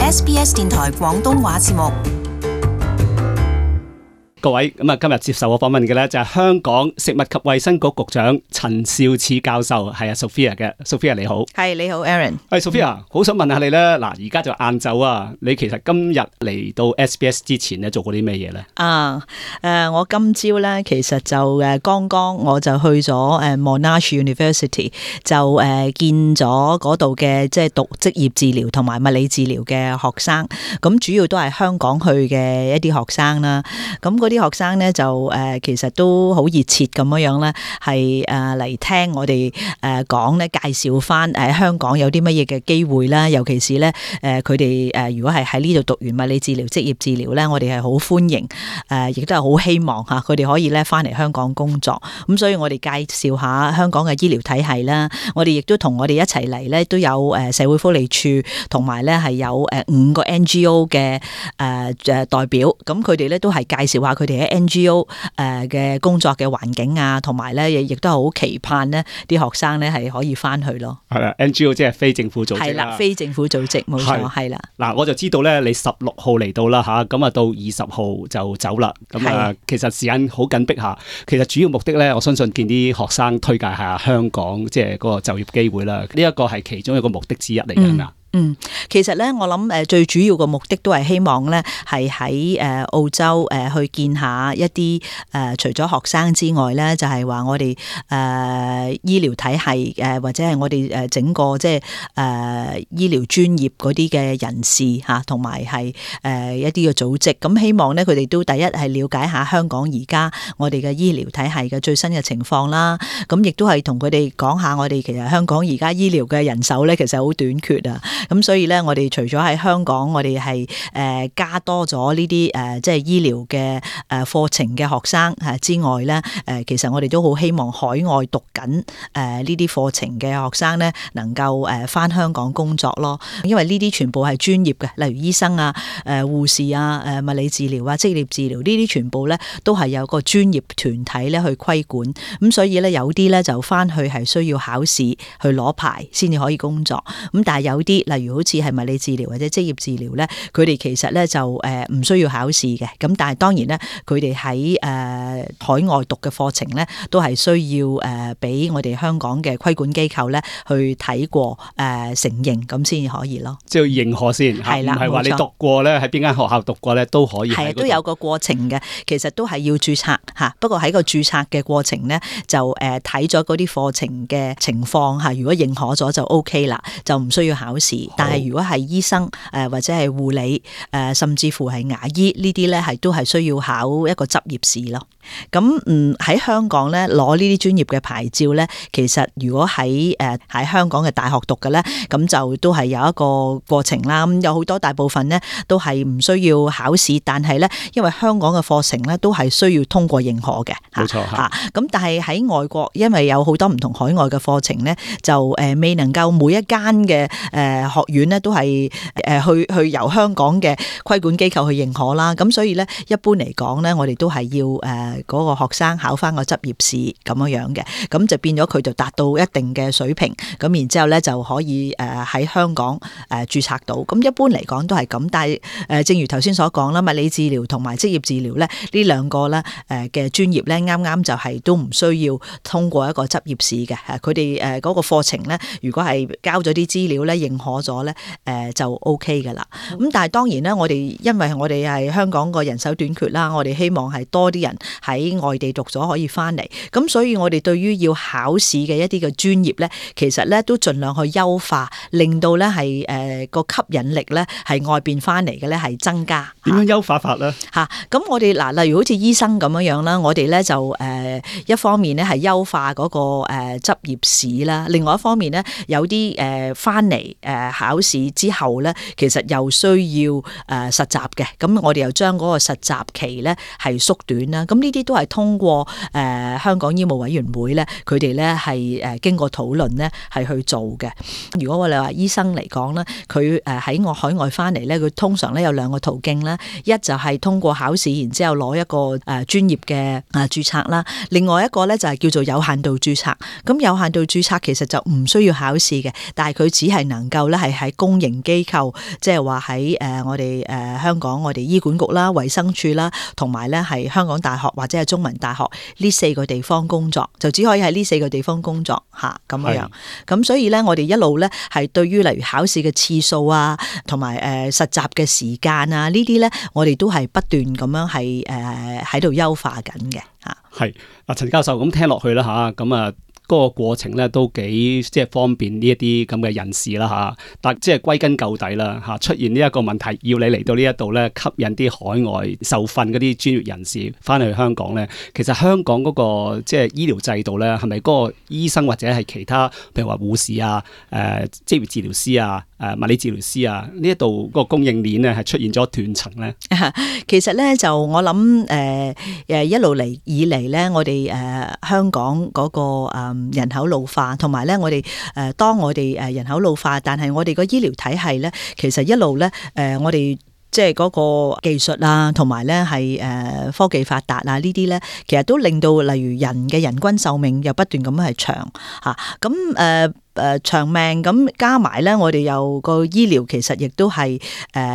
SBS 電台廣東話節目。各位，咁今日接受我訪問嘅咧就係香港食物及衛生局局長陳肇始教授，係Sophia 嘅。Sophia 你好。係，你好 Aaron。Sophia，好想問下你咧，嗱而家就晏晝啊，你其實今日嚟到 SBS 之前咧做過啲咩嘢咧？我今朝咧其實就剛剛我就去咗Monash University， 就見咗嗰度嘅即係讀職業治療同埋物理治療嘅學生，咁主要都係香港去嘅一啲學生啦。咁嗰啲學生咧就其實都好熱切咁樣咧，係嚟聽我哋講咧，介紹翻香港有啲乜嘢嘅機會啦，尤其是咧佢哋如果係喺呢度讀完物理治療、職業治療咧，我哋係好歡迎，亦都係好希望嚇佢哋可以咧翻嚟香港工作。咁所以我哋介紹下香港嘅醫療體系啦，我哋亦都同我哋一齊嚟咧，都有社會福利署同埋咧係有5個 NGO 嘅代表，咁佢哋咧都係介紹下佢哋喺 NGO 嘅工作嘅環境啊，同埋咧亦都係好期盼呢啲學生咧係可以翻去咯。係啦 ，NGO 即係非政府組織啦。係啦，非政府組織冇錯，係啦。嗱，我就知道咧，你16號嚟到啦嚇，咁啊到20號就走啦。咁其實時間好緊迫下。其實主要目的咧，我相信見啲學生推介下香港即係嗰個就業機會啦。呢一個係其中一個目的之一嚟㗎嘛。其實咧，我諗最主要嘅目的都係希望咧，係喺澳洲去見下一啲除咗學生之外咧，就係話我哋醫療體系或者係我哋整個即係醫療專業嗰啲嘅人士嚇，同埋係一啲嘅組織。咁希望咧，佢哋都第一係了解下香港而家我哋嘅醫療體系嘅最新嘅情況啦。咁亦都係同佢哋講下我哋其實香港而家醫療嘅人手咧，其實好短缺啊。咁所以咧，我哋除咗喺香港，我哋係加多咗呢啲即係醫療嘅課程嘅學生之外咧，其實我哋都好希望海外讀緊呢啲課程嘅學生咧，能夠返香港工作咯。因為呢啲全部係專業嘅，例如醫生啊、護士啊、物理治療啊、職業治療呢啲全部咧都係有個專業團體咧去規管。咁所以咧有啲咧就返去係需要考試去攞牌先至可以工作。咁但係有啲例如好似係物理治療或者職業治療咧，佢哋其實咧就唔需要考試嘅。咁但係當然咧，佢哋喺海外讀嘅課程咧，都係需要俾我哋香港嘅規管機構咧去睇過承認，咁先至可以咯。即係要認可先，係啦，唔係話你讀過咧，喺邊間學校讀過咧都可以。係都有個過程嘅，其實都係要註冊嚇。不過喺個註冊嘅過程咧，就睇咗嗰啲課程嘅情況嚇。如果認可咗就 OK 啦，就唔需要考試。但係如果係醫生或者係護理甚至乎係牙醫呢啲咧，係都係需要考一個執業試咯。咁喺香港咧攞呢啲專業嘅牌照咧，其實如果喺香港嘅大學讀嘅咧，咁就都係有一個過程啦。咁有好多大部分咧都係唔需要考試，但係咧因為香港嘅課程咧都係需要通過認可嘅。冇錯嚇。咁但係喺外國，因為有好多唔同海外嘅課程咧，就未能夠每一間嘅學院咧都係去由香港嘅規管機構去認可啦。咁所以咧一般嚟講咧，我哋都係要嗰個學生考翻個執業試咁樣嘅，咁就變咗佢就達到一定嘅水平，咁然之後咧就可以喺香港註冊到。咁一般嚟講都係咁，但係正如頭先所講啦，物理治療同埋職業治療咧呢兩個咧嘅專業咧，啱啱就係都唔需要通過一個執業試嘅。佢哋嗰個課程咧，如果係交咗啲資料咧認可咗咧，就 OK 噶啦。咁但係當然咧，因為我哋係香港個人手短缺啦，我哋希望係多啲人喺外地讀咗可以翻嚟。咁所以我哋對於要考試嘅一啲嘅專業咧，其實咧都盡量去優化，令到咧係個吸引力咧係外邊翻嚟嘅咧係增加。點樣優化法咧？咁我哋例如好似醫生咁樣啦，我哋咧就一方面咧係優化嗰個執業試啦，另外一方面咧有啲翻嚟考試之後咧，其實又需要實習嘅。咁我哋又將嗰個實習期咧係縮短啦。咁呢呢啲都係通過香港醫務委員會咧，佢哋咧係經過討論咧係去做嘅。如果我哋話醫生嚟講咧，佢喺海外翻嚟咧，佢通常咧有兩個途徑啦，一就係通過考試，然之後攞一個專業嘅註冊啦。另外一個咧就係叫做有限度註冊。咁有限度註冊其實就唔需要考試嘅，但係佢只係能夠咧係喺公營機構，即係話喺我哋香港我哋醫管局啦、衛生署啦，同埋咧係香港大學或者係中文大學呢4個地方工作，就只可以喺呢4個地方工作嚇咁樣。咁所以咧，我哋一路咧係對於例如考試嘅次數啊，同埋實習嘅時間啊，呢啲咧我哋都係不斷咁樣係喺度優化緊嘅嚇。係嗱，陳教授咁聽落去啦嚇，咁啊嗰個過程咧都幾即係方便呢一啲咁嘅人士啦嚇，但即係歸根究底啦嚇，出現呢一個問題，要你嚟到呢一度咧，吸引啲海外受訓嗰啲專業人士翻去香港咧，其實香港嗰個即係醫療制度咧，係咪嗰個醫生或者係其他譬如話護士啊、職業治療師啊、物理治療師啊呢一度嗰個供應鏈咧係出現咗斷層咧？其實咧就我諗一路嚟以嚟咧，我哋香港嗰個人口老化，同埋咧我哋當我哋人口老化，但係我哋個醫療體系咧，其實一路咧我哋即係嗰個技術啊，同埋咧係科技發達啊，呢啲咧其實都令到例如人嘅人均壽命又不斷咁係長嚇，咁長命咁加埋咧，我哋有個醫療其實亦都係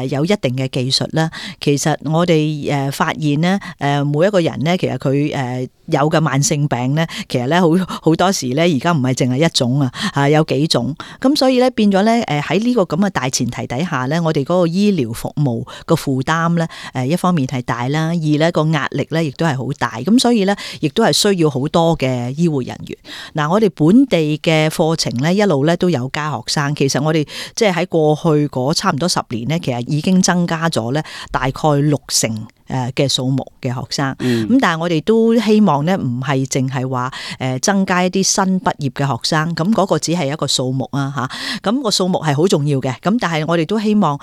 有一定嘅技術啦。其實我哋發現咧每一個人咧，其實佢有嘅慢性病咧，其實咧好多時咧而家唔係淨係一種啊，有幾種。咁所以咧變咗咧喺呢個咁嘅大前提底下咧，我哋嗰個醫療服務個負擔咧一方面係大啦，二咧個壓力咧亦都係好大。咁所以咧亦都係需要好多嘅醫護人員。嗱，我哋本地嘅課程咧，一路咧都有加學生，其實我哋即係喺過去嗰差唔多10年咧，其實已經增加咗咧大概60%嘅數目嘅學生。咁但係我哋都希望咧唔係淨係話增加一啲新畢業嘅學生，咁嗰個只係一個數目啊嚇。咁個數目係好重要嘅，咁但係我哋都希望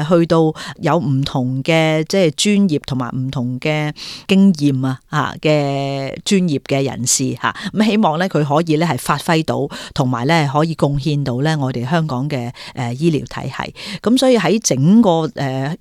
去到有唔同嘅即係專業同埋唔同嘅經驗啊嚇嘅專業嘅人士嚇，咁希望咧佢可以咧係發揮到，同埋咧可以貢獻到咧我哋香港嘅醫療體系。咁所以喺整個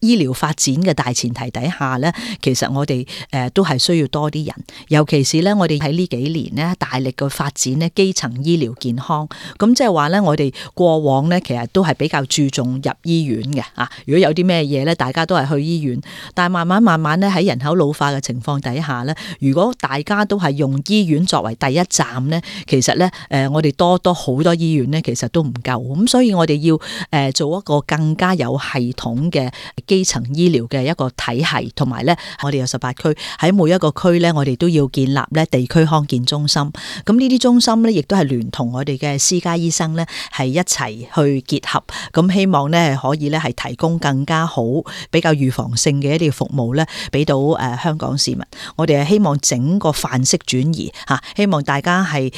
醫療發展嘅大前提底下咧，其實我哋都係需要多啲人，尤其是咧我哋喺呢幾年咧大力嘅發展咧基層醫療健康。咁即係話咧，我哋過往咧其實都係比較注重入醫院嘅啊。如果有啲咩嘢咧，大家都係去醫院。但係慢慢咧喺人口老化嘅情況底下咧，如果大家都係用醫院作為第一站咧，其實咧我哋多好多醫院咧，其實都唔夠。咁所以我哋要做一個更加有系統嘅基層醫療嘅一個體系，同埋咧我哋有18區，喺每一個區咧，我哋都要建立咧地區康健中心。咁呢啲中心咧，亦都係聯同我哋嘅私家醫生咧，係一齊去結合。咁希望咧可以咧係提供更加好、比較預防性嘅一啲服務咧，俾到香港市民。我哋係希望整個範式轉移嚇，希望大家係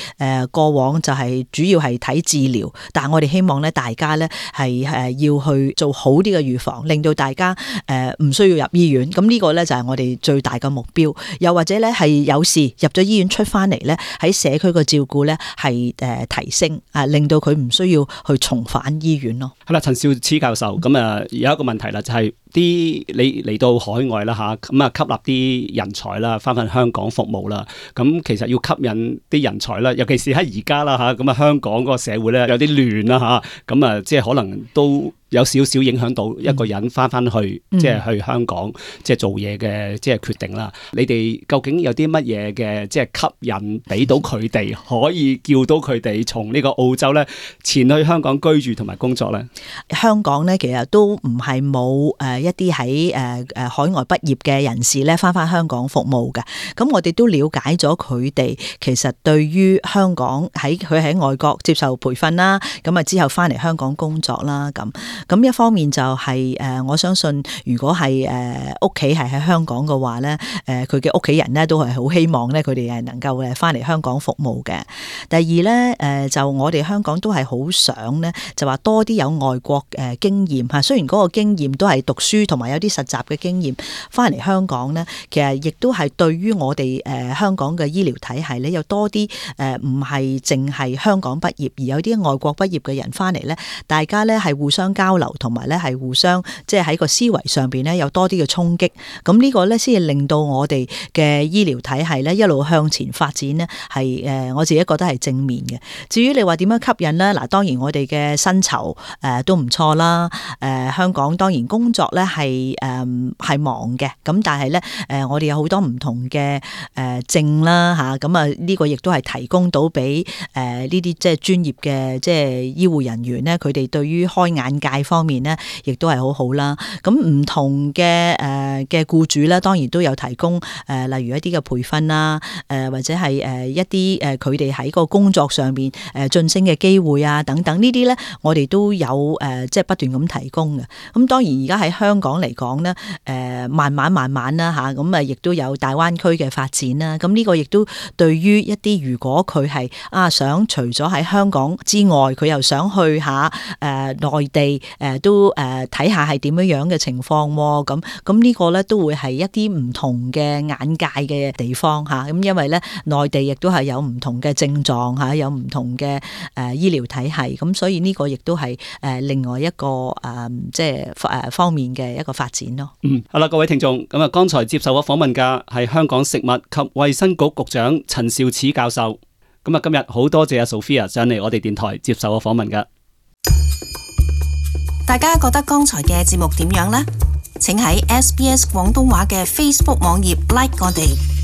過往就係主要係睇治療，但係我哋希望咧大家咧係要去做好啲嘅預防，令到大家唔需要入醫院。咁呢個咧就係我哋最大嘅目標。又或者咧係有事入咗醫院出翻嚟咧，喺社區嘅照顧咧係提升啊，令到佢唔需要去重返醫院咯。係啦，陳肇始教授，咁有一個問題啦，就係你嚟到海外啦嚇，咁吸納啲人才啦，翻香港服務啦。咁其實要吸引啲人才啦，尤其是喺而家啦嚇，咁香港嗰個社會咧有啲亂啦嚇，咁即係可能都有少少影響到一個人翻去即係去香港即係做嘢嘅即係決定啦。你哋究竟有啲乜嘢嘅即係吸引俾到佢哋，可以叫到佢哋從呢個澳洲咧前去香港居住同埋工作咧？香港咧其實都唔係冇一啲喺海外畢業嘅人士咧翻香港服務嘅。咁我哋都了解咗佢哋其實對於香港佢喺外國接受培訓啦，咁之後翻嚟香港工作啦咁一方面就係我相信如果係屋企係喺香港嘅話咧，佢嘅屋企人咧都係好希望咧佢哋係能夠翻嚟香港服務嘅。第二咧就我哋香港都係好想咧就話多啲有外國經驗嚇，雖然嗰個經驗都係讀書書同埋有啲實習嘅經驗翻嚟香港咧，其實亦都係對於我哋香港嘅醫療體系咧，有多啲唔係淨係香港畢業，而有啲外國畢業嘅人翻嚟咧，大家咧係互相交流，同埋咧係互相即係喺個思維上邊咧有多啲嘅衝擊。咁呢個咧先至令到我哋嘅醫療體系咧一路向前發展呢，係我自己覺得係正面嘅。至於你話點樣吸引咧，嗱當然我哋嘅薪酬都唔錯啦。香港當然工作咧係忙嘅，咁但係咧我哋有好多唔同嘅證啦嚇，咁啊呢個亦都係提供到俾呢啲即係專業嘅即係醫護人員咧，佢哋對於開眼界方面咧，亦都係好好啦。咁唔同嘅僱主咧，當然都有提供例如一啲嘅培訓啦，或者係一啲佢哋喺個工作上邊晉升嘅機會啊等等呢啲咧，我哋都有即係不斷咁提供嘅。咁當然而家喺香港嚟講咧，慢慢啦嚇，咁亦都有大灣區嘅發展啦。咁呢個亦都對於一啲如果佢係想除咗喺香港之外，佢又想去下內地都睇下係點樣嘅情況喎。咁呢個咧都會係一啲唔同嘅眼界嘅地方嚇。咁因為咧內地亦都係有唔同嘅症狀嚇，有唔同嘅醫療體系，咁所以呢個亦都係另外一個即係方面嘅一個發展咯。好啦，各位聽眾，咁啊，剛才接受我訪問嘅係香港食物及衛生局局長陳肇始教授。咁啊，今日好多謝阿 Sophia 上嚟我哋電台接受我訪問嘅。大家覺得剛才嘅節目點樣呢？請喺SBS 廣東話嘅 Facebook 網頁 like 我哋。